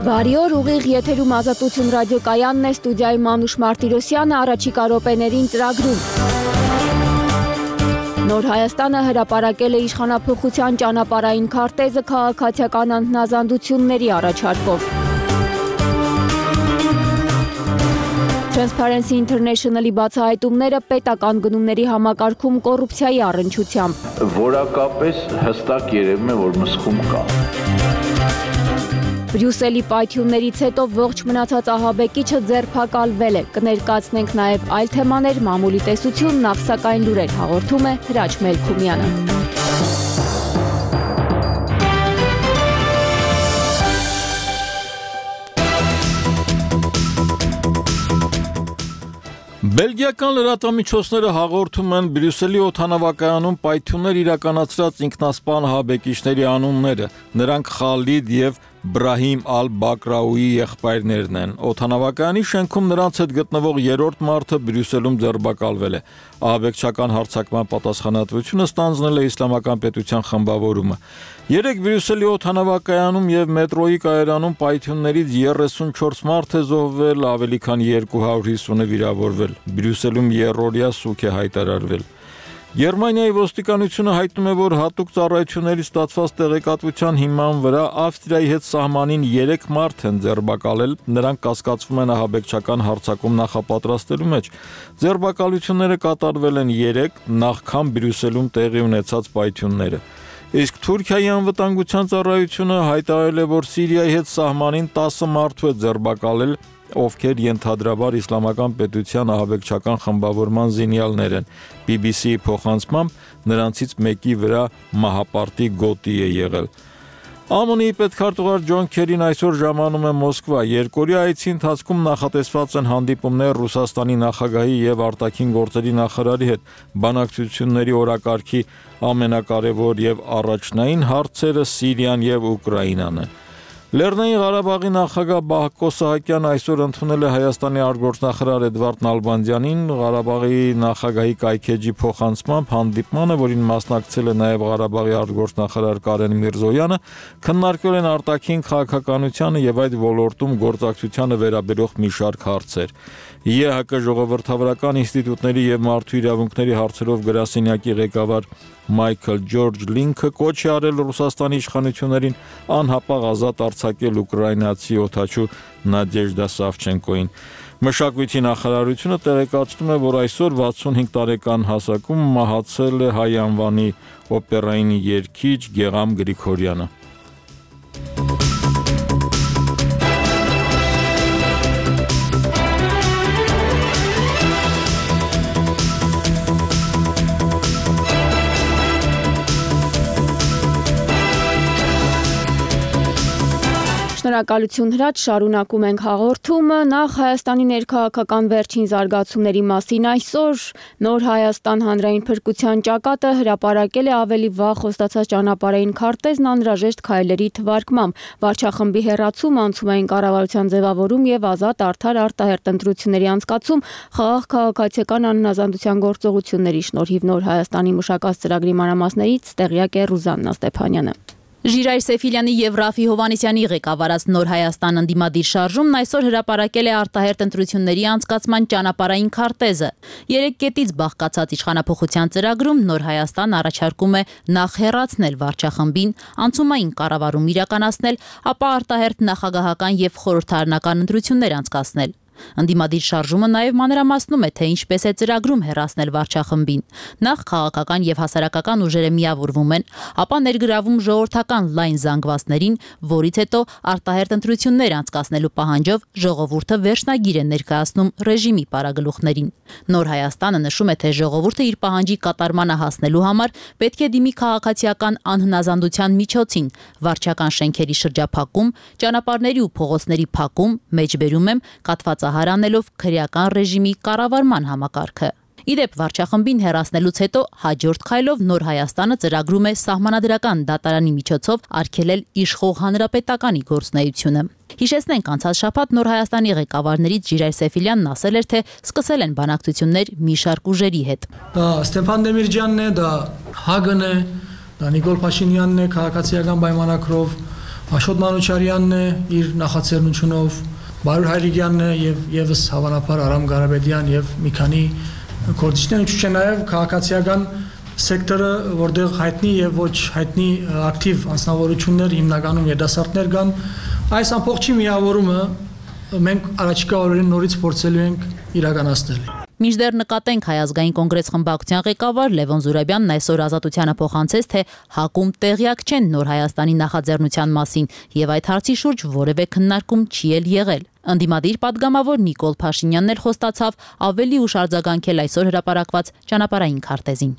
Բարի օր, ուղիղ եթերում Ազատություն ռադիոկայանն է, ստուդիայում Մանուշ Մարտիրոսյանը, առաջիկա րոպեներին ծրագրում։ Նոր Հայաստանը հրապարակել է իշխանափոխության ճանապարհային քարտեզը քաղաքացիական անհնազանդությունների առաջարկով։ Transparency International-ի բացահայտումները պետական գնումների համակարգում կոռուպցիայի առնչությամբ։ Որակապես հստակ երևում է, որ մսխում կա։ Բրյուսելի պայթյուններից հետո ողջ մնացած ահաբեկիչը ձերբակալվել է։ Կներկայացնենք նաև այլ թեմաներ, մամուլի տեսություն, նախ սակայն լուրեր հաղորդում է Հրաչ Մելքումյանը։ Բելգիական լրատվամիջոցները հաղորդում են Բրյուսելի օդանավակայանում պայթյուններ իրականացրած ինքնասպան ահաբեկիչների անունները։ Նրանք Խալիդ եւ Բրահիմ Ալ-Բակրաուի եղբայրներն են։ Օդանավակայանի շենքում նրանց հետ գտնվող երրորդ մարդը Բրյուսելում ձերբակալվել է։ Ահաբեկչական հարձակման պատասխանատվությունը ստանձնել է Իսլամական պետության խմբավորումը։ Երեկ Բրյուսելի օդանավակայանում եւ մետրոյի կայարանում պայթյուններից 34 մարդ է զոհվել, ավելի քան 250-ը վիրավորվել։ Բրյուսելում երրորդյա սուք է հայտարարվել։ Գերմանիայի ոստիկանությունը հայտնում է, որ հատուկ ծառայություններից ստացված տեղեկատվության հիման վրա Ավստրիայի հետ սահմանին 3 մարդ են ձերբակալել, նրանք կասկածվում են ահաբեկչական հարձակում նախապատրաստելու մեջ։ Ձերբակալությունները կատարվել են 3 նախքան Բրյուսելում տեղի ունեցած պայթյունները։ Իսկ Թուրքիայի անվտանգության ծառայությունը հայտարարել է, որ Սիրիայի հետ սահմանին 10 մարդու է ձերբակալել, ովքեր ենթադրաբար Իսլամական պետության ահաբեկչական խմբավորման զինյալներ են։ BBC-ի փոխանցմամբ նրանցից մեկի վրա մահապարտի գոտի է եղել։ ԱՄՆ-ի պետքարտուղար Ջոն Քերին այսօր ժամանում է Մոսկվա։ Երկօրյա այցի ընթացքում նախատեսված են հանդիպումներ Ռուսաստանի նախագահի եւ արտաքին գործերի նախարարի հետ։ Բանակցությունների օրակարգի ամենակարևոր եւ առաջնային հարցերը Սիրիան եւ Ուկրաինան են։ Լեռնային Ղարաբաղի նախագահ Բահկո Սահակյանն այսօր ընդունել է Հայաստանի արտգործնախարար Էդվարդ Նալբանդյանին։ Ղարաբաղի նախագահի կայքեջի փոխանցմամբ հանդիպմանը, որին մասնակցել է նաև Ղարաբաղի արտգործնախարար Կարեն Միրզոյանը, քննարկվել են արտաքին քաղաքականությանը եւ այդ ոլորտում գործակցությանը վերաբերող մի շարք հարցեր։ ԵՀԿ ժողովրդավարական ինստիտուտների եւ մարդու իրավունքների հարցերով գրասենյակի ղեկավար Մայքլ Ջորջ Լինքը կոչ է արել Ռուսաստանի իշխանություններին անհապաղ ազատ արձակել ուկրաինացի օդաչու Նադեժդա Սավչենկոին։ Մշակույթի նախարարությունը տեղեկացնում է, որ այսօր 65 տարեկան հասակում մահացել է հայ անվանի օպերային երգիչ Գեղամ Գրիգորյանը։ Շնորհակալություն Հրաչ, շարունակում ենք հաղորդումը։ Նախ Հայաստանի ներքաղաքական վերջին զարգացումների մասին այսօր Նոր Հայաստան հանրային փրկության ճակատը հրապարակել է ավելի վաղ խոստացած ճանապարհային քարտեզն անհրաժեշտ քայլերի թվարկմամբ։ Վարչախմբի հեռացում, անցումային կառավարության ձևավորում եւ ազատ արդար արտահերտ ընտրությունների անցկացում խաղաղ քաղաքացիական անհնազանդության գործողությունների շնորհիվ Նոր Հայաստանի մշակած ծրագրի մանրամասներից տեղյակ է Ռուզաննա Ստեփանյանը։ Ժիրայր Սեֆիլյանի եւ Ռաֆի Հովանեսյանի ղեկավարած Նոր Հայաստան ընդդիմադիր շարժումն այսօր հրապարակել է արտահերտ ընտրությունների անցկացման ճանապարհային քարտեզը։ 3 կետից բաղկացած իշխանափոխության ծրագրում Նոր Հայաստան առաջարկում է նախ հեռացնել վարչախմբին, անցումային կառավարում իրականացնել, ապա արտահերտ նախագահական եւ խորհրդարանական ընտրություններ անցկացնել։ Ընդդիմադիր շարժումը նաև մանրամասնում է, թե ինչպես է ծրագրում հեռացնել վարչախմբին։ Նախ քաղաքական եւ հասարակական ուժերը միավորվում են, ապա ներգրավում ժողովրդական լայն զանգվածներին, որից հետո արտահերտ ընտրություններ անցկացնելու պահանջով ժողովուրդը վերջնագիր է ներկայացնում ռեժիմի պարագլուխներին։ Նոր Հայաստանը նշում է, թե ժողովուրդը իր պահանջի կատարմանը հասնելու համար պետք է դիմի քաղաքացիական անհնազանդության միջոցին, վարչական շենքերի շրջափակում, ճանապարհների ու փողոցների փակում, մեջբերում եմ կաթվածահար անելով քրեական ռեժիմի կառավարման համակարգը։ Իդեպ վարչախմբին հեռացնելուց հետո հաջորդ քայլով Նոր Հայաստանը ծրագրում է սահմանադրական դատարանի միջոցով արգելել իշխող հանրապետականի գործունեությունը։ Հիշեցնենք, անցած շաբաթ Նոր Հայաստանի ղեկավարներից Ժիրայր Սեֆիլյանն ասել էր, թե սկսել են բանակցություններ մի շարք ուժերի հետ։ Դա Ստեփան Դեմիրճյանն է, դա ՀԱԳ-ն է, դա Նիկոլ Փաշինյանն է քաղաքացիական պայմանագրով, Աշոտ Մանուչարյանն է իր նախաձեռնությունով, Բարուր Հայրիկյանն է եւ եւս հավանաբար Արամ Ղարաբեդյան եւ մի քանի գործիչներ, ինչու՞ չէ նաեւ քաղաքացիական սեկտորը, որտեղ հայտնի եւ ոչ հայտնի ակտիվ անձնավորություններ, հիմնականում երիտասարդներ կան, այս ամբողջի միավորումը մենք առաջիկա օրերին նորից փորձելու ենք իրականացնել։ Մինչդեռ նկատենք Հայ ազգային կոնգրես խմբակցության ղեկավար Լևոն Զուրաբյանն այսօր Ազատությանը փոխանցեց, թե ՀԱԿ-ում տեղյակ չեն Նոր Հայաստանի նախաձեռնության մասին եւ այդ հարցի շուրջ որևէ քննարկում չի եղել։ Ընդդիմադիր պատգամավոր Նիկոլ Փաշինյանն էլ խոստացավ ավելի ուշ արձագանքել այսօր հրապարակված ճանապարհային քարտեզին։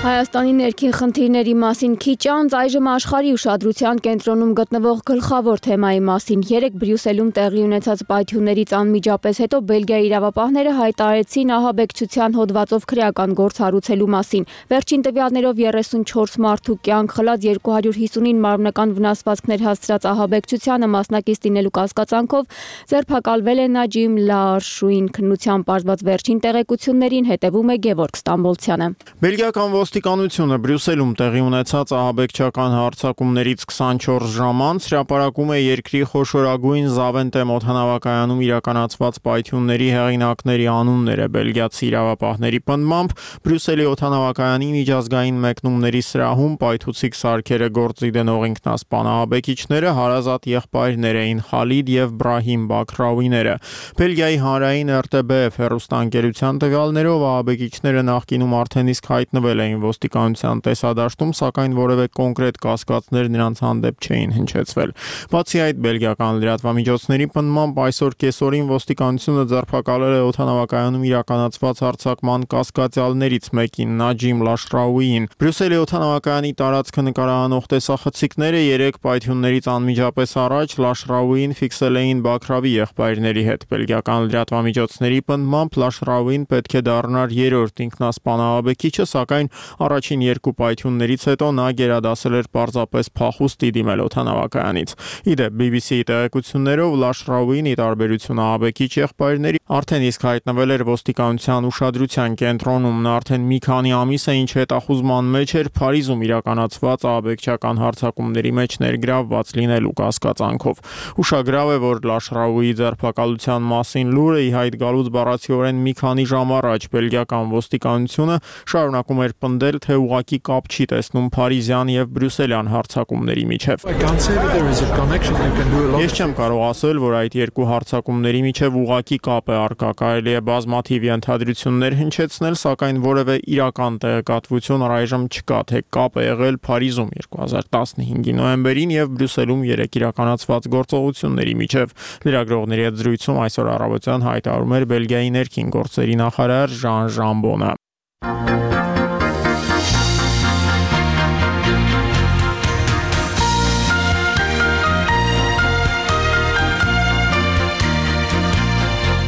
Հայաստանի ներքին խնդիրների մասին քիչ անց այժմ աշխարհի ուշադրության կենտրոնում գտնվող գլխավոր թեմայի մասին 3 Բրյուսելում տեղի ունեցած պայթյուններից անմիջապես հետո Բելգիայի իրավապահները հայտարարեցին ահաբեկչության հոդվածով քրեական գործ հարուցելու մասին։ Վերջին տվյալներով 34 մարդու կյանք խլած 259 մարմնական վնասվածքներ հասցրած ահաբեկչությանը մասնակից լինելու կասկածանքով ձերբակալվել է Նաջիմ Լաարշուին քննությամբ պարզված վերջին տեղեկություններին հետևում է Գևորգ Ստամբոլցյանը։ Բելգիական ոստիկանությունը Բրյուսելում տեղի ունեցած ահաբեկչական հարձակումներից 24 ժամ անց հրապարակում է երկրի խոշորագույն Զավենտեմ օդանավակայանում իրականացված պայթյունների հեղինակների անունները։ Բելգիացի իրավապահների պնդմամբ Բրյուսելի օդանավակայանի միջազգային մեկնումների սրահում պայթուցիկ սարքերը գործի դնող ինքնասպան ահաբեկիչները հարազատ եղբայրներ էին Խալիդ եւ Բրահիմ Բաքրաուիները։ Բելգիայի հանրային RTBF հեռուստաընկերության տվյալներով ահաբեկիչները նախկինում արդեն իսկ հայտնվել էին ոստիկանության տեսադաշտում, սակայն որևէ կոնկրետ կասկածներ նրանց հանդեպ չէին հնչեցվել։ Բացի այդ, բելգիական լրատվամիջոցների պնդմամբ այսօր կեսօրին ոստիկանությունը ձերբակալել է օդանավակայանում իրականացված հարձակման կասկածյալներից մեկին Նաջիմ Լաշրաուիին։ Բրյուսելի օդանավակայանի տարածքը նկարահանող տեսախցիկները 3 պայթյուններից անմիջապես առաջ Լաշրաուիին ֆիքսել էին Բաքրավի եղբայրների հետ։ Բելգիական լրատվամիջոցների պնդմամբ Լաշրաուին պետք է դառնար 3-րդ ինքնասպան ահաբեկիչը, սակայն առաջին 2 պայթյուններից հետո նա գերադասել էր պարզապես փախուստի դիմել օդանավակայանից։ Իդեպ BBC-ի տեղեկություններով Լաշրաուին ի տարբերություն ահաբեկիչ եղբայրների արդեն իսկ հայտնվել էր ոստիկանության ուշադրության կենտրոնում։ Նա արդեն մի քանի ամիս է ինչ հետախուզման մեջ էր Փարիզում իրականացված ահաբեկչական հարձակումների մեջ ներգրավված լինելու կասկածանքով։ Ուշագրավ է, որ Լաշրաուիի ձերբակալության մասին լուրը ի հայտ գալուց բառացիորեն մի քանի ժամ առաջ բելգիական ոստիկանությունը շարունակում էր պնդել, թե ուղղակի կապ չի տեսնում փարիզյան եւ բրյուսելյան հարձակումների միջև։ Ես չեմ կարող ասել, որ այդ երկու հարձակումների միջև ուղղակի կապ է առկա, կարելի է բազմաթիվ ենթադրություններ հնչեցնել, սակայն որևէ իրական տեղեկատվություն առայժմ չկա, թե կապ է եղել Փարիզում 2015-ի նոյեմբերին եւ Բրյուսելում 3 իրականացված գործողությունների միջև։ Լրագրողների հետ զրույցում այսօր առավոտյան հայտարարում էր Բելգիայի ներքին գործերի նախարար Ժան Ժամբոնը։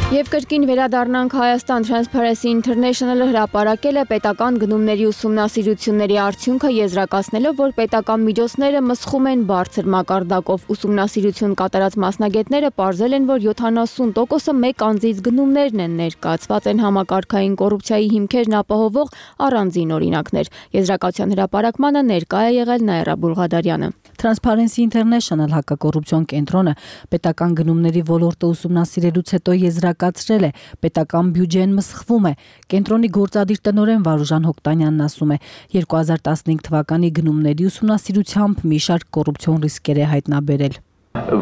Եվ կրկին վերադառնանք Հայաստան Transparency International-ը հրապարակել է պետական գնումների ուսումնասիրությունների արդյունքը եզրակացնելով, որ պետական միջոցները մսխում են բարձր մակարդակով։ Ուսումնասիրություն կատարած մասնագետները պարզել են, որ 70%-ը մեկ անձից գնումներն են, ներկայացված են համակարգային կոռուպցիայի հիմքերն ապահովող առանձին օրինակներ։ Եզրակացության հրապարակմանը ներկա է եղել Նաիրա Բուլղադարյանը։ Transparency International հակակոռուպցիոն կենտրոնը պետական գնումների ոլորտը ուսումնասիրելուց հետո եզրակացրել է, պետական բյուջեն մսխվում է։ Կենտրոնի գործադիր տնօրեն Վարուժան Հոկտանյանն ասում է, 2015 թվականի գնումների ուսումնասիրությամբ մի շարք կոռուպցիոն ռիսկեր է հայտնաբերել։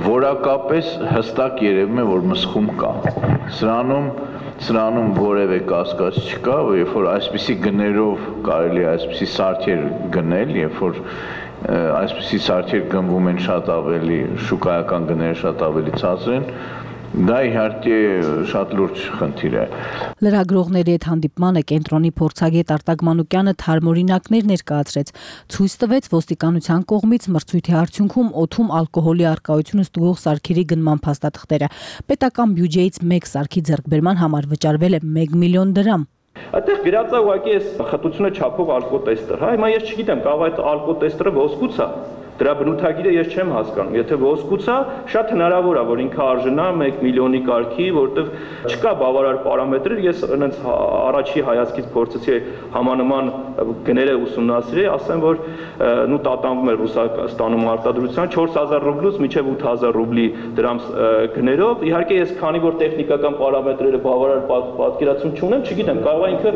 Որակապես հստակ երևում է, որ մսխում կա։ Սրանում որևէ կասկած չկա, երբ որ այսպիսի գներով կարելի է այսպիսի սարքեր գնել, երբ որ այսպիսի սարքեր գնվում են շատ ավելի, շուկայական գները շատ ավելի ցածր են, դա իհարկե շատ լուրջ խնդիր է։ Լրագրողների հետ հանդիպմանը կենտրոնի փորձագետ Արտակ Մանուկյանը թարմօրինակներ ներկայացրեց, ցույց տվեց ոստիկանության կողմից մրցույթի արդյունքում օդում ալկոհոլի առկայությունը ստուգող սարքերի գնման փաստաթղթերը։ Պետական բյուջեից մեկ սարքի ձեռքբերման համար վճարվել է 1 միլիոն դրամ։ Այդտեղ գրած է ուղղակի այս խտությունը չափող ալկոտեստեր, հա, հիմա ես չգիտեմ, կարող է այդ ալկոտեստերը ոսկուց է, Դրա բնութագիրը ես չեմ հասկանում։ Եթե ոսկուց է, շատ հնարավոր է, որ ինքը արժանա 1 միլիոնի կարգի, որտեղ չկա բավարար պարամետրեր, ես այնց առաջի հայացքից փորձեցի համանման գները ուսումնասիրել, ասեմ, որ նու տատանվում է Ռուսաստանում արտադրության 4000 ռուբլուց մինչև 8000 ռուբլի դրամ գներով։ Իհարկե ես քանի որ տեխնիկական պարամետրերը բավարար պատկերացում չունեմ, չգիտեմ, կարող է ինքը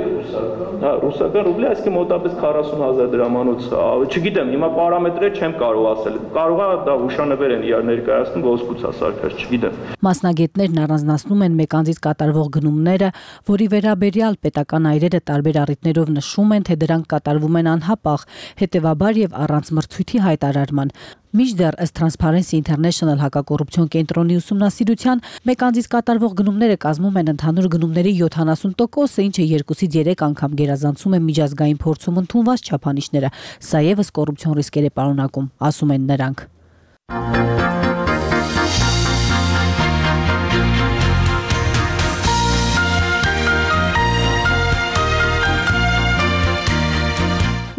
ռուսական ռուբլի, այսինքն մոտավորապես 40000 դրամանոց, չգիտեմ, հիմա պարամետրերը չեմ կարող ասել։ Կարող է դա հուշանվեր են իրար ներկայացնում, ոսկուց է սարքած, չգիտեմ։ Մասնագետներն առանձնացնում են մեկ անձից կատարվող գնումները, որի վերաբերյալ պետական այրերը տարբեր առիթներով նշում են, թե դրանք կատարվում են անհապաղ, հետևաբար եւ առանց մրցույթի հայտարարման։ Մինչդեռ ըստ Transparency International հակակոռուպցիոն կենտրոնի ուսումնասիրության, մեկ անձից կատարվող գնումները կազմում են ընդհանուր գնումների 70%, ինչը 2-ից 3 անգամ գերազանցում է միջազգային փորձում ընդունված չափանիշները։ Սա եւս կոռուպցիոն ռիսկեր է պարունակում, ասում են նրանք։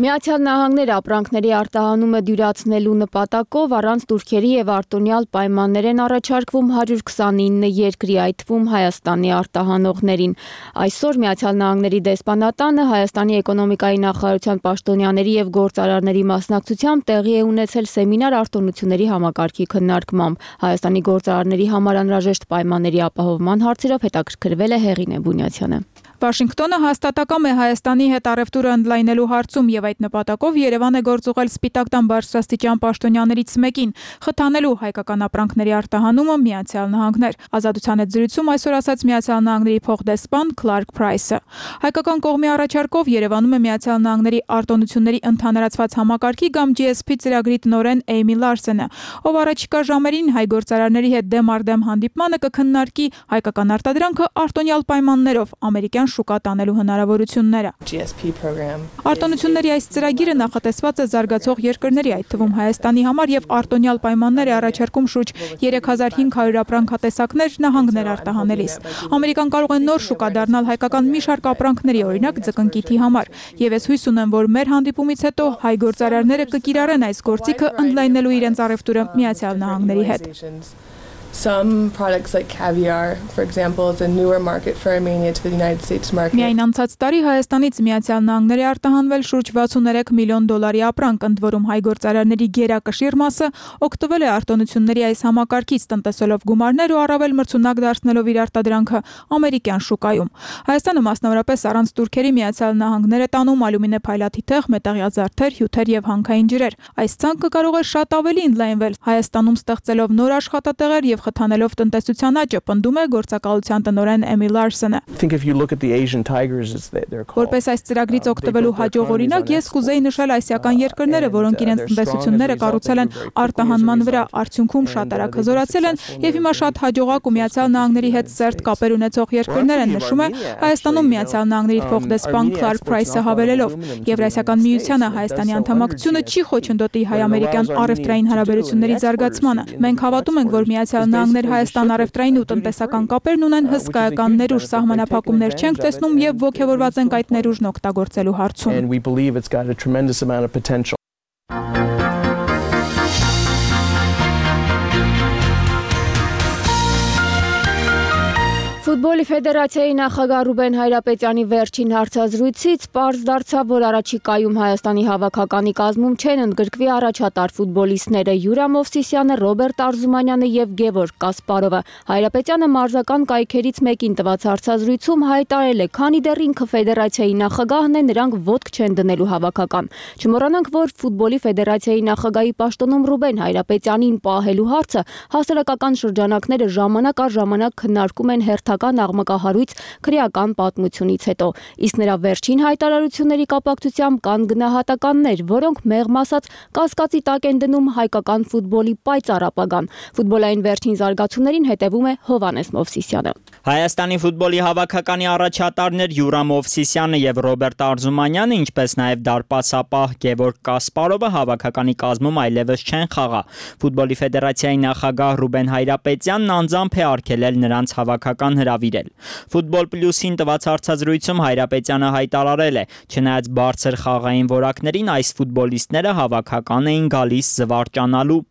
Միացյալ Նահանգները ապրանքների արտահանումը դյուրացնելու նպատակով առանց տուրքերի եւ արտոնյալ պայմաններ են առաջարկվում 129 երկրի, այդ թվում Հայաստանի արտահանողներին։ Այսօր Միացյալ Նահանգների դեսպանատանը Հայաստանի էկոնոմիկայի նախարարության պաշտոնյաների եւ գործարարների մասնակցությամբ տեղի է ունեցել սեմինար արտոնությունների համակարգի քննարկմամբ։ Հայաստանի գործարարների համար անհրաժեշտ պայմանների ապահովման հարցերով հետաքրքրվել է Հեղինե Բունյացյանը։ Վաշինգտոնը հաստատակամ է Հայաստանի հետ առևտուրը ընդլայնելու հարցում եւ այդ նպատակով Երևան է գործուղել Սպիտակ տան բարձրաստիճան պաշտոնյաներից մեկին խթանելու հայկական ապրանքների արտահանումը Միացյալ Նահանգներ։ Ազատության հետ զրույցում այսօր ասաց Միացյալ Նահանգների փոխդեսպան Քլարկ Փրայսը։ Հայկական կողմի առաջարկով Երևանում է Միացյալ Նահանգների արտոնությունների ընդհանրացված համակարգի կամ GSP ծրագրի տնօրեն Էյմի Լարսենը, ով առաջիկա ժամերին հայ գործարարների հետ դեմ առ դեմ հանդիպմանը կքննարկի հայկական արտադրանքը արտոնյալ պայմաններով ամերիկյան շուկա տանելու հնարավորությունները։ Արտոնությունների այս ծրագիրը նախատեսված է զարգացող երկրների, այդ թվում Հայաստանի համար եւ արտոնյալ պայմաններ է առաջարկում շուրջ 3500 ապրանքատեսակներ նահանգներ արտահանելիս։ Ամերիկան կարող է նոր շուկա դառնալ հայկական մի շարք ապրանքների, օրինակ ձկնկիթի համար, եւ ես հույս ունեմ, որ մեր հանդիպումից հետո հայ գործարարները կկիրառեն այս գործիքը ընդլայնելու իրենց առևտուրը Միացյալ Նահանգների հետ։ Some products like caviar, for example, is a newer market for Armenia to the United States market. Միայն անցած տարի Հայաստանից Միացյալ Նահանգների արտահանվել շուրջ $63 միլիոն ապրանք, ընդ որում հայ գործարարների գերակշիռ մասը օգտվել է արտոնությունների այս համակարգից, տնտեսելով գումարներ ու առավել մրցունակ դարձնելով իր արտադրանքը ամերիկյան շուկայում։ Հայաստանը մասնավորապես առանց տուրքերի Միացյալ Նահանգներ է տանում ալյումինե փայլաթիթեղ, մետաղյա զարդեր, հյութեր եւ հանքային ջրեր։ Այս ցանկը կարող է շատ ավելի ընդլայնվել Հայաստանում ստեղծելով նոր աշխատատեղեր եւ խթանելով տնտեսության աճը, պնդում է գործակալության տնօրեն Էմի Լարսենը։ Որպես այս ծրագրից օգտվելու հաջող օրինակ, ես կուզեի նշել ասիական երկրները, որոնք իրենց տնտեսությունները կառուցել են արտահանման վրա, արդյունքում շատ արագ հզորացել են եւ հիմա շատ հաջողակ ու Միացյալ Նահանգների հետ սերտ կապեր ունեցող երկրներ են, նշում է Հայաստանում Միացյալ Նահանգների փոխդեսպան Քլարկ Փրայսը հավելելով։ Եվրասիական միությանը Հայաստանի անդամակցությունը չի խոչընդոտի հայ-ամերիկյան առևտրային հարաբերությունների զարգացմանը։ Մենք հավատում ենք, որ Միացյալ Նահանգներ Հայաստան առևտրային ու տնտեսական կապերն ունեն հսկայական ներուժ, սահմանափակումներ չենք տեսնում եւ ողջավորված ենք այդ ներուժն օգտագործելու հարցում։ Ֆուտբոլի ֆեդերացիայի նախագահ Ռուբեն Հայրապետյանի վերջին հարցազրույցից պարզ դարձավ, որ առաջիկայում Հայաստանի հավաքականի կազմում չեն ընդգրկվի առաջատար ֆուտբոլիստները Յուրա Մովսիսյանը, Ռոբերտ Արզումանյանը եւ Գևորգ Կասպարովը։ Հայրապետյանը մարզական կայքերից մեկին տված հարցազրույցում հայտարարել է, քանի դեռ ինքը ֆեդերացիայի նախագահն է, նրանք ոտք չեն դնելու հավաքական։ Չմոռանանք, որ ֆուտբոլի ֆեդերացիայի նախագահի պաշտոնում Ռուբեն Հայրապետյանին պահելու հարցը հասարակական շրջանակները ժամանակ առ ժամանակ քննարկում են հերթական աղմկահարույց քրեական պատմությունից հետո, իսկ նրա վերջին հայտարարությունների կապակցությամբ կան գնահատականներ, որոնք մեղմ ասած կասկածի տակ են դնում հայկական ֆուտբոլի պայծառ ապագան։ Ֆուտբոլային վերջին զարգացումներին հետևում է Հովհաննես Մովսիսյանը։ Հայաստանի ֆուտբոլի հավաքականի առաջատարներ Յուրա Մովսիսյանը եւ Ռոբերտ Արզումանյանը, ինչպես նաեւ դարպասապահ Գևորգ Կասպարովը հավաքականի կազմում այլևս չեն խաղա։ Ֆուտբոլի ֆեդերացիայի նախագահ Ռուբեն Հայրապետյանն անձամբ է արգելել նրանց հավաքական հրավիրել։ Ֆուտբոլ պլյուսին տված հարցազրույցում Հայրապետյանը հայտարարել է, չնայած բարձր խաղային որակներին այս ֆուտբոլիստները հավաքական էին գալիս զվարճանալու։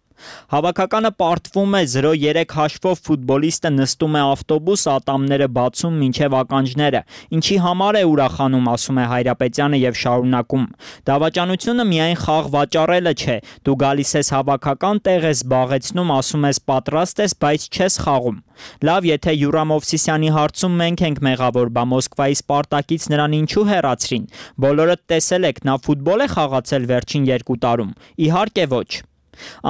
Հավաքականը պարտվում է 0-3 հաշվով ֆուտբոլիստը նստում է ավտոբուս, ատամները բացում մինչև ականջները, ինչի համար է ուրախանում, ասում է Հայրապետյանը եւ շարունակում. դավաճանությունը միայն խաղ վաճառելը չէ, դու գալիս ես հավաքական, տեղ ես զբաղեցնում, ասում ես պատրաստ ես, բայց չես խաղում։ Լավ, եթե Յուրամ Օվսիսյանի հարցում մենք ենք մեղավոր, բա Մոսկվայի Սպարտակից նրան ինչու հեռացրին։ Բոլորդ տեսել եք, նա ֆուտբոլ է խաղացել վերջին 2 տարում։ Իհարկե ոչ։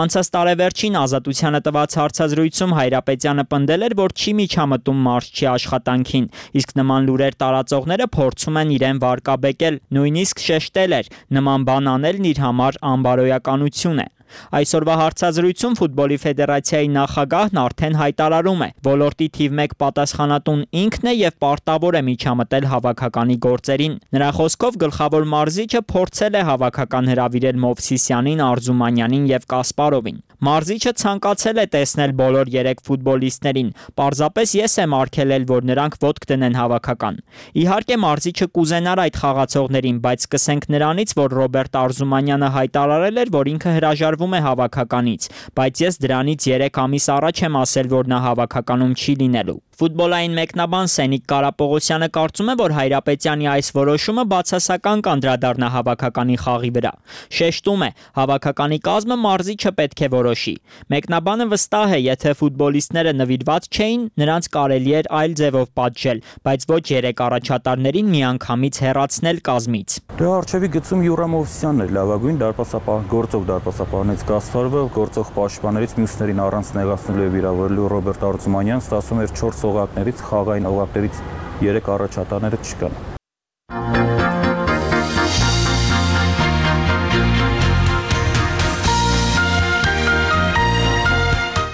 Անցած տարեվերջին Ազատությանը տված հարցազրույցում Հայրապետյանը պնդել էր, որ չի միջամտում մարզչի աշխատանքին, իսկ նման լուրեր տարածողները փորձում են իրեն վարկաբեկել, նույնիսկ շեշտել էր, նման բան անելն իր համար անբարոյականություն է։ Այսօրվա հարցազրույցում Ֆուտբոլի ֆեդերացիայի նախագահն արդեն հայտարարում է, ոլորտի թիվ 1 պատասխանատուն ինքն է եւ պարտավոր է միջամտել հավաքականի գործերին։ Նրա խոսքով գլխավոր մարզիչը փորձել է հավաքական հրավիրել Մովսիսյանին, Արզումանյանին եւ Կասպարովին։ Մարզիչը ցանկացել է տեսնել բոլոր 3 ֆուտբոլիստներին, պարզապես ես եմ արգելել, որ նրանք ոտք դնեն հավաքական։ Իհարկե մարզիչը կուզենար այդ խաղացողներին, բայց սկսենք նրանից, որ Ռոբերտ Արզումանյանը հայտարարել էր, որ ինքը հրաժարվում է հավաքականից, բայց ես դրանից 3 ամիս առաջ եմ ասել, որ նա հավաքականում չի լինելու։ Ֆուտբոլային մեկնաբան Սենիկ Կարապողոսյանը կարծում է, որ Հայրապետյանի այս որոշումը բացասական կանդրադառնա հավաքականի խաղի վրա։ Շեշտում է, հավաքականի կազմը մարզիչը պետք է որոշի։ Մեկնաբանը վստահ է, եթե ֆուտբոլիստները նվիրված չէին, նրանց կարելի էր այլ ձևով պատժել, բայց ոչ 3 առաջատարներին միանգամից հեռացնել կազմից։ Դրա արժևի գծում Յուրամ Օվսիսյանն էր լավագույն դարպասապահ, գործող դարպասապահներից Կասպարովը, գործող պաշտպաններից մյուսներին առանց նեղացնելու եւ վիրավորելու Ռոբերտ Արզումանյանն ստացվում էր 4 օղակներից, խաղային օղակներից 3 առաջատարները չկան։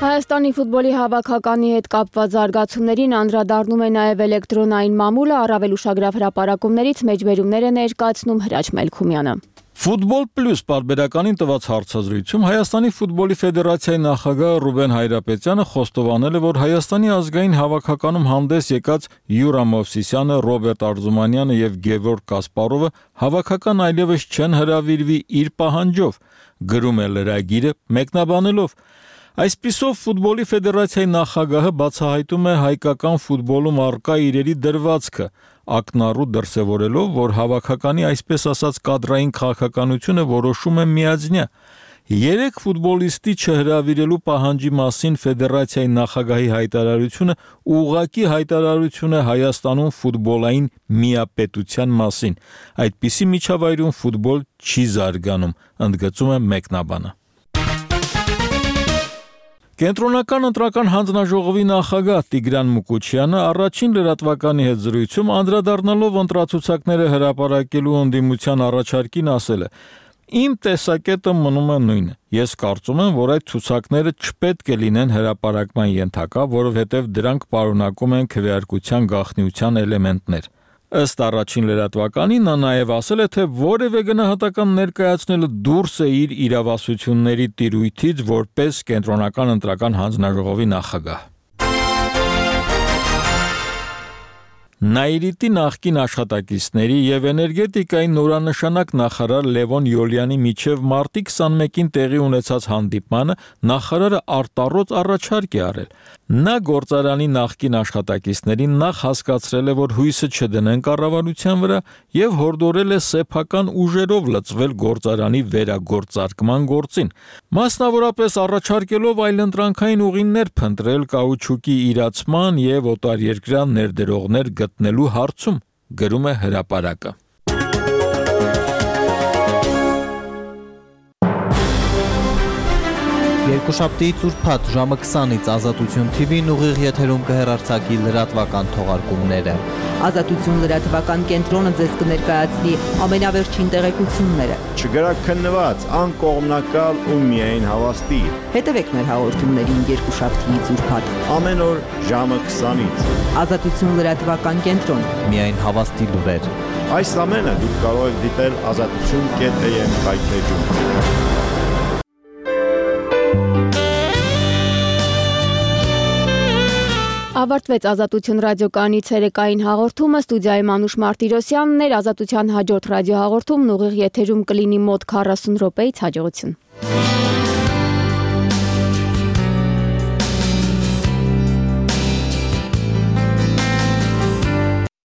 Հայաստանի ֆուտբոլի հավաքականի հետ կապված զարգացումներին անդրադառնում է նաև էլեկտրոնային մամուլը, առավել ուշագրավ հրապարակումներից մեջբերումներ է ներկայացնում Հրաչ Մելքումյանը։ Ֆուտբոլ պլյուս պարբերականին տված հարցազրույցում Հայաստանի ֆուտբոլի ֆեդերացիայի նախագահ Ռուբեն Հայրապետյանը խոստովանել է, որ Հայաստանի ազգային հավաքականում հանդես եկած Յուրամ Օվսիսյանը, Ռոբերտ Արզումանյանը եւ Գևորգ Կասպարովը հավաքական այլևս չեն հրավիրվի իր պահանջով, գրում է լրագիրը մեկնաբանելով. Այսպիսով ֆուտբոլի ֆեդերացիայի նախագահը բացահայտում է հայկական ֆուտբոլում առկա իրերի դրվածքը, ակնառու դրսևորելով, որ հավաքականի այսպես ասած կադրային քաղաքականությունը որոշում է միաձնյա։ 3 ֆուտբոլիստի չհրավիրելու պահանջի մասին ֆեդերացիայի նախագահի հայտարարությունը ուղղակի հայտարարություն է Հայաստանում ֆուտբոլային միապետության մասին։ Այդպիսի միջավայրում ֆուտբոլ չի զարգանում, ընդգծում է մեկնաբանը։ Կենտրոնական ընտրական հանձնաժողովի նախագահ Տիգրան Մուկուչյանը առաջին լրատվականի հետ զրույցում անդրադառնալով ընտրացուցակները հրապարակելու ընդդիմության առաջարկին ասել է. Իմ տեսակետը մնում է նույնը։ Ես կարծում եմ, որ այդ ցուցակները չպետք է լինեն հրապարակման ենթակա, որովհետև դրանք պարունակում են քվեարկության գաղտնիության էլեմենտներ։ Ըստ առաջին լրատվականի նա նաև ասել է, թե որևէ գնահատական ներկայացնելը դուրս է իր իրավասությունների տիրույթից որպես կենտրոնական ընտրական հանձնաժողովի նախագահ։ Նաիրիտի նախկին աշխատակիցների եւ էներգետիկայի նորանշանակ նախարար Լևոն Յոլյանի միջև մարտի 21-ին տեղի ունեցած հանդիպմանը նախարարը արտառոց առաջարկ է արել։ Նա գործարանի նախկին աշխատակիցներին նախ հասկացրել է, որ հույսը չդնեն կառավարության վրա եւ հորդորել է սեփական ուժերով լծվել գործարանի վերագործարկման գործին։ Մասնավորապես առաջարկելով այլընտրանքային ուղիներ փնտրել կաուչուկի իրացման եւ օտարերկրյա ներդրողներ գտնելու հարցում, գրում է հրապարակը։ Երկուշաբթիից ուրբաթ ժամը 20-ից Ազատություն TV-ն ուղիղ եթերում կհեռարձակի լրատվական թողարկումները։ Ազատություն լրատվական կենտրոնը ձեզ կներկայացնի ամենավերջին տեղեկությունները։ Չգրաքննված, անկողմնակալ ու միայն հավաստի։ Հետևեք մեր հաղորդումներին երկուշաբթիից ուրբաթ ամեն օր ժամը 20-ից։ Ազատություն լրատվական կենտրոն։ Միայն հավաստի լուրեր։ Այս ամենը դուք կարող եք դիտել azatutun.am հայթեջում։ Ավարտվեց Ազատություն ռադիոկայանի ցերեկային հաղորդումը, ստուդիայում Անուշ Մարտիրոսյանն էր, Ազատության հաջորդ ռադիոհաղորդումն ուղիղ եթերում կլինի մոտ 40 րոպեից, հաջողություն։